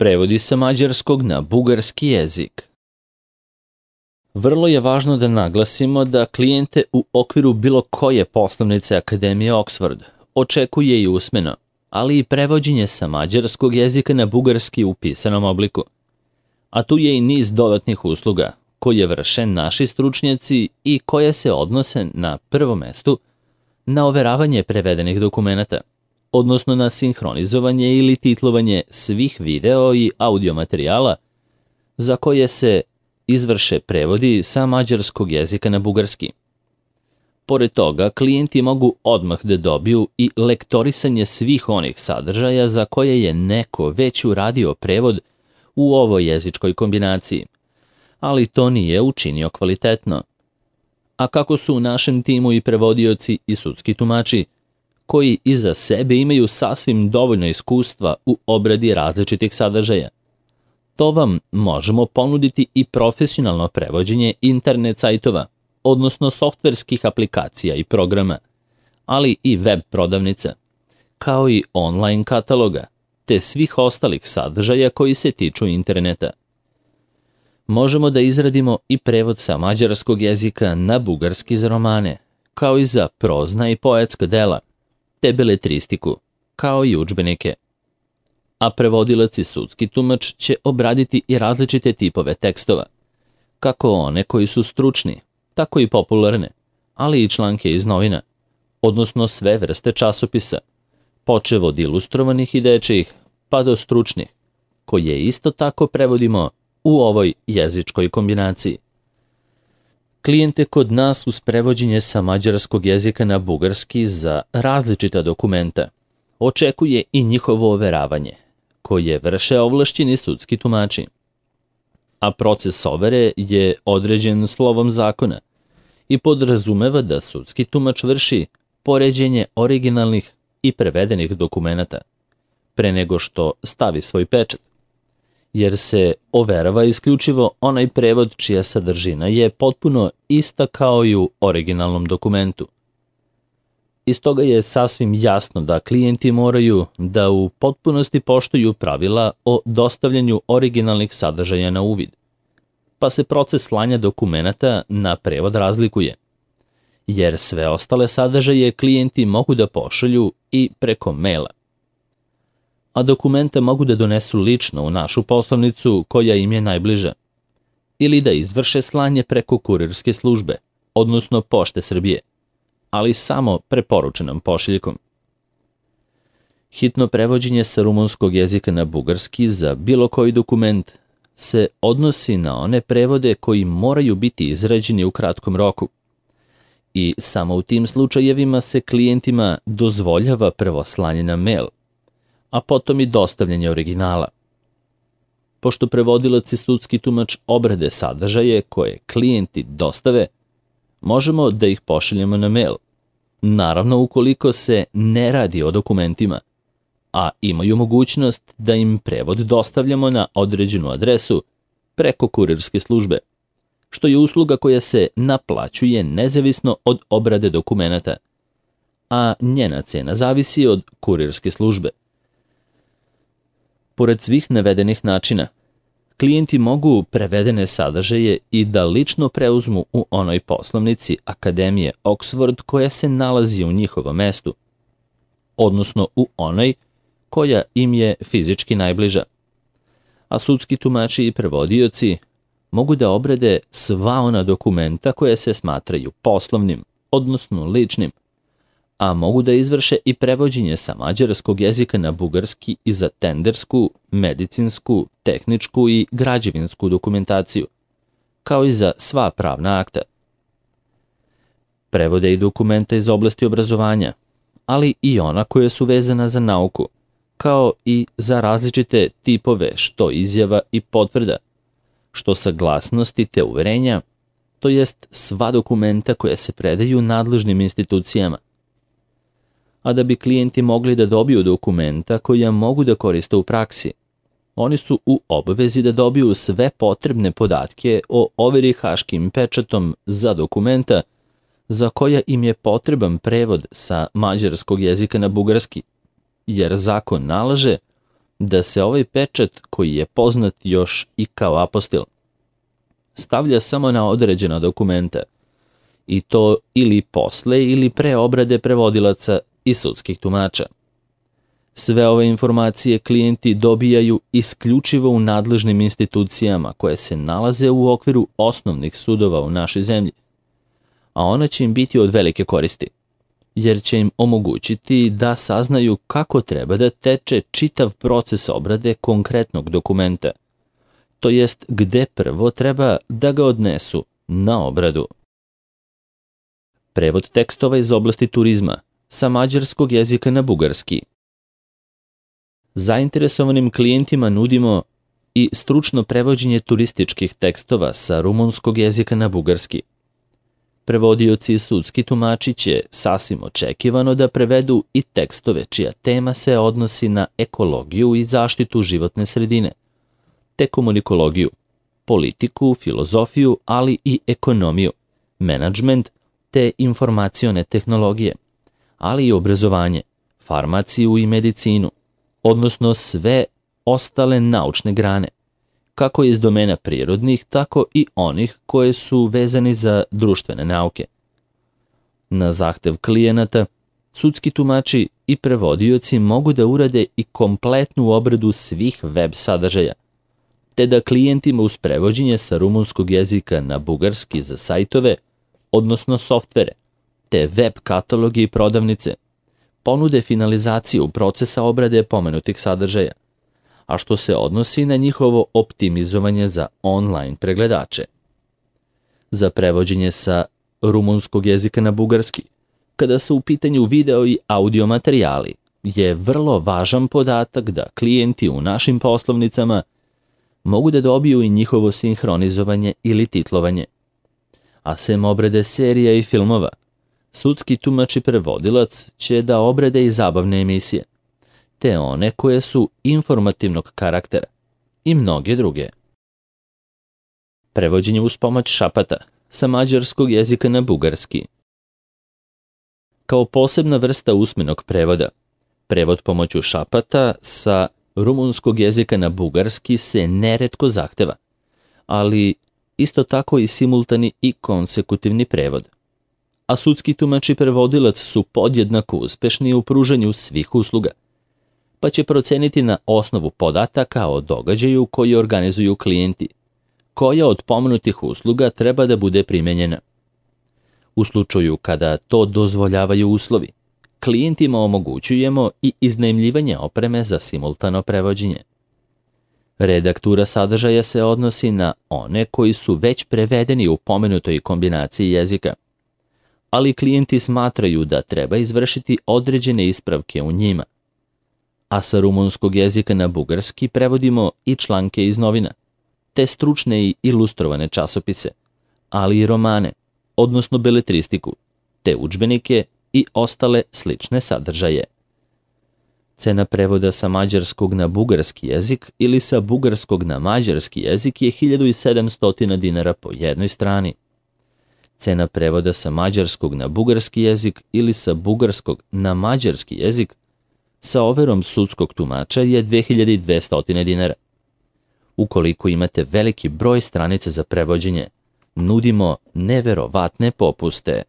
Prevodi sa mađarskog na bugarski jezik. Vrlo je važno da naglasimo da klijente u okviru bilo koje poslovnice Akademije Oxford očekuje i usmeno, ali i prevođenje sa mađarskog jezika na bugarski u pisanom obliku. A tu je i niz dodatnih usluga koje vrše naši stručnjaci i koje se odnose na prvom mestu na overavanje prevedenih dokumenata, odnosno na sinhronizovanje ili titlovanje svih video i audio materijala za koje se izvrše prevodi sa mađarskog jezika na bugarski. Pored toga, klijenti mogu odmah da dobiju i lektorisanje svih onih sadržaja za koje je neko već uradio prevod u ovoj jezičkoj kombinaciji, ali to nije učinio kvalitetno. A kako su u našem timu i prevodioci i sudski tumači, koji iza sebe imaju sasvim dovoljno iskustva u obradi različitih sadržaja. To vam možemo ponuditi i profesionalno prevođenje internet sajtova, odnosno softverskih aplikacija i programa, ali i web prodavnica, kao i online kataloga, te svih ostalih sadržaja koji se tiču interneta. Možemo da izradimo i prevod sa mađarskog jezika na bugarski za romane, kao i za prozna i poetska dela, te beletristiku, kao i udžbenike. A prevodilac i sudski tumač će obraditi i različite tipove tekstova, kako one koji su stručni, tako i popularne, ali i članke iz novina, odnosno sve vrste časopisa, počev od ilustrovanih i dečijih, pa do stručnih, koje isto tako prevodimo u ovoj jezičkoj kombinaciji. Klijente kod nas uz prevođenje sa mađarskog jezika na bugarski za različita dokumenta očekuje i njihovo overavanje, koje vrše ovlašćeni sudski tumači. A proces overe je određen slovom zakona i podrazumeva da sudski tumač vrši poređenje originalnih i prevedenih dokumenata pre nego što stavi svoj pečat, jer se overava isključivo onaj prevod čija sadržina je potpuno ista kao i u originalnom dokumentu. Iz toga je sasvim jasno da klijenti moraju da u potpunosti poštuju pravila o dostavljanju originalnih sadržaja na uvid, pa se proces slanja dokumenata na prevod razlikuje, jer sve ostale sadržaje klijenti mogu da pošalju i preko maila. A dokumenta mogu da donesu lično u našu poslovnicu koja im je najbliža, ili da izvrše slanje preko kurirske službe, odnosno Pošte Srbije, ali samo preporučenom pošiljkom. Hitno prevođenje sa rumunskog jezika na bugarski za bilo koji dokument se odnosi na one prevode koji moraju biti izrađeni u kratkom roku i samo u tim slučajevima se klijentima dozvoljava prvo slanje na mail, a potom i dostavljanje originala. Pošto prevodilac i sudski tumač obrade sadržaje koje klijenti dostave, možemo da ih pošaljemo na mail, naravno ukoliko se ne radi o dokumentima, a imaju mogućnost da im prevod dostavljamo na određenu adresu preko kurirske službe, što je usluga koja se naplaćuje nezavisno od obrade dokumenata, a njena cena zavisi od kurirske službe. Pored svih navedenih načina, klijenti mogu prevedene sadržaje i da lično preuzmu u onoj poslovnici Akademije Oxford koja se nalazi u njihovom mestu, odnosno u onoj koja im je fizički najbliža. A sudski tumači i prevodioci mogu da obrade sva ona dokumenta koja se smatraju poslovnim, odnosno ličnim, a mogu da izvrše i prevođenje sa mađarskog jezika na bugarski i za tendersku, medicinsku, tehničku i građevinsku dokumentaciju, kao i za sva pravna akta. Prevode i dokumenta iz oblasti obrazovanja, ali i ona koja su vezana za nauku, kao i za različite tipove što izjava i potvrda, što saglasnosti te uverenja, to jest sva dokumenta koja se predaju nadležnim institucijama. A da bi klijenti mogli da dobiju dokumenta koja mogu da koriste u praksi, oni su u obavezi da dobiju sve potrebne podatke o overi haškim pečatom za dokumenta za koja im je potreban prevod sa mađarskog jezika na bugarski, jer zakon nalaže da se ovaj pečat, koji je poznat još i kao apostil, stavlja samo na određena dokumenta, i to ili posle ili pre obrade prevodilaca i sudskih tumača. Sve ove informacije klijenti dobijaju isključivo u nadležnim institucijama koje se nalaze u okviru osnovnih sudova u našoj zemlji, a ona će im biti od velike koristi, jer će im omogućiti da saznaju kako treba da teče čitav proces obrade konkretnog dokumenta, to jest gde prvo treba da ga odnesu na obradu. Prevod tekstova iz oblasti turizma sa mađarskog jezika na bugarski. Zainteresovanim klijentima nudimo i stručno prevođenje turističkih tekstova sa rumunskog jezika na bugarski. Prevodioci i sudski tumači će sasvim očekivano da prevedu i tekstove čija tema se odnosi na ekologiju i zaštitu životne sredine, te komunikologiju, politiku, filozofiju, ali i ekonomiju, menadžment te informacione tehnologije, ali i obrazovanje, farmaciju i medicinu, odnosno sve ostale naučne grane, kako iz domena prirodnih, tako i onih koje su vezani za društvene nauke. Na zahtev klijenata, sudski tumači i prevodioci mogu da urade i kompletnu obradu svih web sadržaja, te da klijentima uz prevođenje sa rumunskog jezika na bugarski za sajtove, odnosno softvere, te web kataloge i prodavnice, ponude finalizaciju procesa obrade pomenutih sadržaja, a što se odnosi na njihovo optimizovanje za online pregledače. Za prevođenje sa rumunskog jezika na bugarski, kada su u pitanju video i audio materijali, je vrlo važan podatak da klijenti u našim poslovnicama mogu da dobiju i njihovo sinhronizovanje ili titlovanje. A sem obrade serija i filmova, sudski tumač i prevodilac će da obrade i zabavne emisije, te one koje su informativnog karaktera i mnoge druge. Prevođenje uz pomoć šapata sa mađarskog jezika na bugarski. Kao posebna vrsta usmenog prevoda, prevod pomoću šapata sa rumunskog jezika na bugarski se neretko zahteva, ali isto tako i simultani i konsekutivni prevod. A sudski tumač i prevodilac su podjednako uspešni u pružanju svih usluga, pa će proceniti na osnovu podataka o događaju koji organizuju klijenti, koja od pomenutih usluga treba da bude primenjena. U slučaju kada to dozvoljavaju uslovi, klijentima omogućujemo i iznajmljivanje opreme za simultano prevođenje. Redaktura sadržaja se odnosi na one koji su već prevedeni u pomenutoj kombinaciji jezika, ali klijenti smatraju da treba izvršiti određene ispravke u njima. A sa rumunskog jezika na bugarski prevodimo i članke iz novina, te stručne i ilustrovane časopise, ali i romane, odnosno beletristiku, te udžbenike i ostale slične sadržaje. Cena prevoda sa mađarskog na bugarski jezik ili sa bugarskog na mađarski jezik je 1700 dinara po jednoj strani. Cena prevoda sa mađarskog na bugarski jezik ili sa bugarskog na mađarski jezik sa overom sudskog tumača je 2200 dinara. Ukoliko imate veliki broj stranica za prevođenje, nudimo neverovatne popuste.